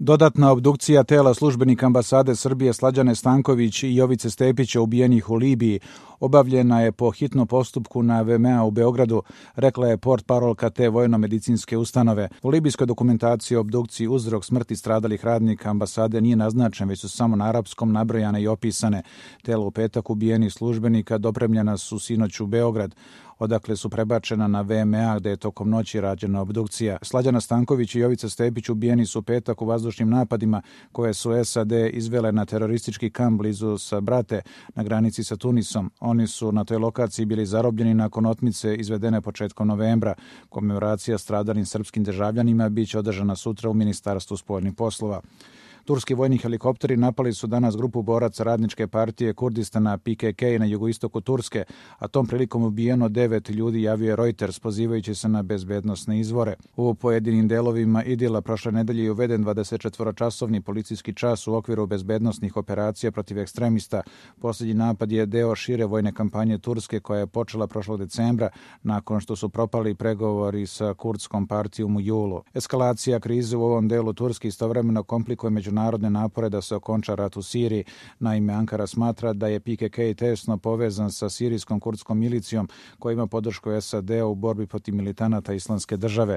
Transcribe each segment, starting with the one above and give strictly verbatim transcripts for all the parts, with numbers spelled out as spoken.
Dodatna obdukcija tela službenika ambasade Srbije Slađane Stanković i Jovice Stepića ubijenih u Libiji obavljena je po hitnom postupku na V M A u Beogradu, rekla je portparolka te vojno-medicinske ustanove. U libijskoj dokumentaciji o obdukciji uzrok smrti stradalih radnika ambasade nije naznačen, već su samo na arapskom nabrojane i opisane. Tela u petak ubijenih službenika dopremljena su sinoć u Beograd, odakle su prebačena na V M A gde je tokom noći rađena obdukcija. Slađana Stanković i Jovica Stepić ubijeni su u petak u vazdušnim napadima koje su S A D izvele na teroristički kamp blizu Sabrate na granici sa Tunisom. Oni su na toj lokaciji bili zarobljeni nakon otmice izvedene početkom novembra. Komemoracija stradalim srpskim državljanima biće održana sutra u Ministarstvu spoljnih poslova. Turski vojni helikopteri napali su danas grupu boraca radničke partije Kurdistana P K K na jugoistoku Turske, a tom prilikom ubijeno devet ljudi, javio je Reuters, pozivajući se na bezbednosne izvore. U pojedinim delovima Idila prošle nedelje je uveden dvadesetčetvoročasovni policijski čas u okviru bezbednosnih operacija protiv ekstremista. Posljednji napad je deo šire vojne kampanje Turske koja je počela prošlog decembra nakon što su propali pregovori sa kurdskom partijom u julu. Eskalacija krize u ovom delu Turske istovremeno komplikuje među narodne napore da se okonča rat u Siriji. Naime, Ankara smatra da je P K K tesno povezan sa sirijskom kurdskom milicijom koja ima podršku S A D u borbi protiv militanata Islamske države.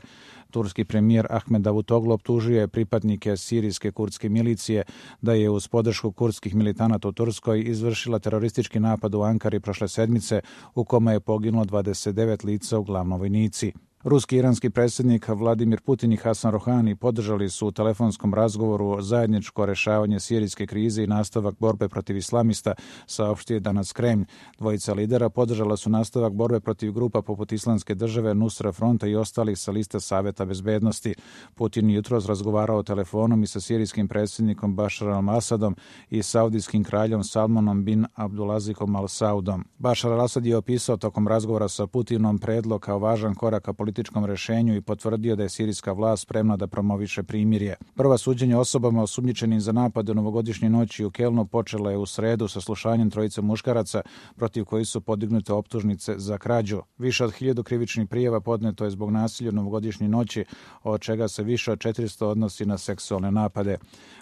Turski premijer Ahmed Davutoglu optužio je pripadnike sirijske kurdske milicije da je uz podršku kurdskih militanata u Turskoj izvršila teroristički napad u Ankari prošle sedmice u kome je poginulo dvadeset devet lica, uglavnom vojnici. Ruski i iranski predsjednik Vladimir Putin i Hasan Rohani podržali su u telefonskom razgovoru zajedničko rešavanje sirijske krize i nastavak borbe protiv islamista, saopštio je danas Kremlj. Dvojica lidera podržala su nastavak borbe protiv grupa poput Islamske države, Nusra fronta i ostalih sa liste Saveta bezbednosti. Putin jutros razgovarao telefonom i sa sirijskim predsjednikom Bašarom al-Asadom i saudijskim kraljom Salmanom bin Abdulazikom al-Saudom. Bašar al-Asad je opisao tokom razgovora sa Putinom predlog kao važan korak ka političkom rešenju i potvrdio da je sirijska vlast spremna da promoviše primirje. Prva suđenja osobama osumnjičenim za napade u novogodišnje noći u Kelnu počela je u sredu sa slušanjem trojice muškaraca protiv koji su podignute optužnice za krađu. Više od hiljadu krivičnih prijava podneto je zbog nasilja u novogodišnje noći, od čega se više od četiristo odnosi na seksualne napade.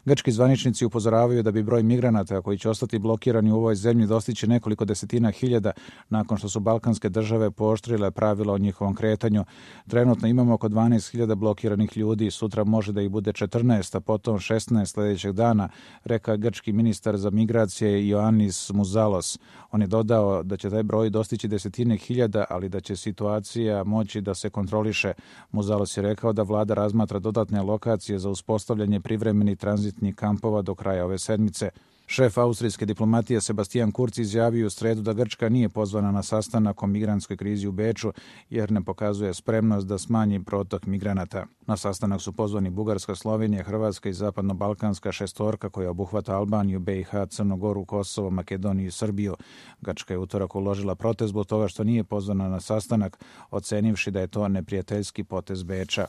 Grčki zvaničnici upozoravaju da bi broj migranata koji će ostati blokirani u ovoj zemlji dostići nekoliko desetina hiljada nakon što su balkanske države pooštrile pravila o njihovom kretanju. Trenutno imamo oko dvanaest hiljada blokiranih ljudi, sutra može da ih bude četrnaest, a potom šesnaest sljedećeg dana, rekao grčki ministar za migracije Ioannis Mouzalos. On je dodao da će taj broj dostići desetine hiljada, ali da će situacija moći da se kontroliše. Mouzalos je rekao da vlada razmatra dodatne lokacije za uspostavljanje privremenih tranzitnih kampova do kraja ove sedmice. Šef austrijske diplomatije Sebastian Kurz izjavio u sredu da Grčka nije pozvana na sastanak o migrantskoj krizi u Beču jer ne pokazuje spremnost da smanji protok migranata. Na sastanak su pozvani Bugarska, Slovenija, Hrvatska i zapadno-balkanska šestorka koja obuhvata Albaniju, B i H, Crnu Goru, Kosovo, Makedoniju i Srbiju. Grčka je utorak uložila protest zbog toga što nije pozvana na sastanak, ocenivši da je to neprijateljski potez Beča.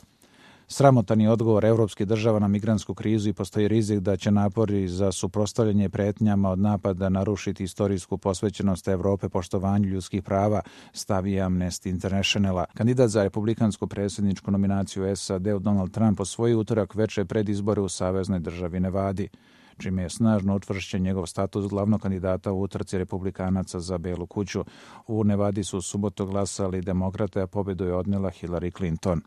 Sramotan je odgovor evropskih država na migrantsku krizu i postoji rizik da će napori za suprotstavljanje pretnjama od napada narušiti istorijsku posvećenost Evrope poštovanju ljudskih prava, stavi Amnesty Internationala. Kandidat za republikansku predsjedničku nominaciju S A D Donald Trump osvojio utorak veče pred izbore u saveznoj državi Nevadi, čime je snažno utvršćen njegov status glavnog kandidata u utrci republikanaca za Belu kuću. U Nevadi su u subotu glasali demokrate, a pobedu je odnela Hillary Clinton.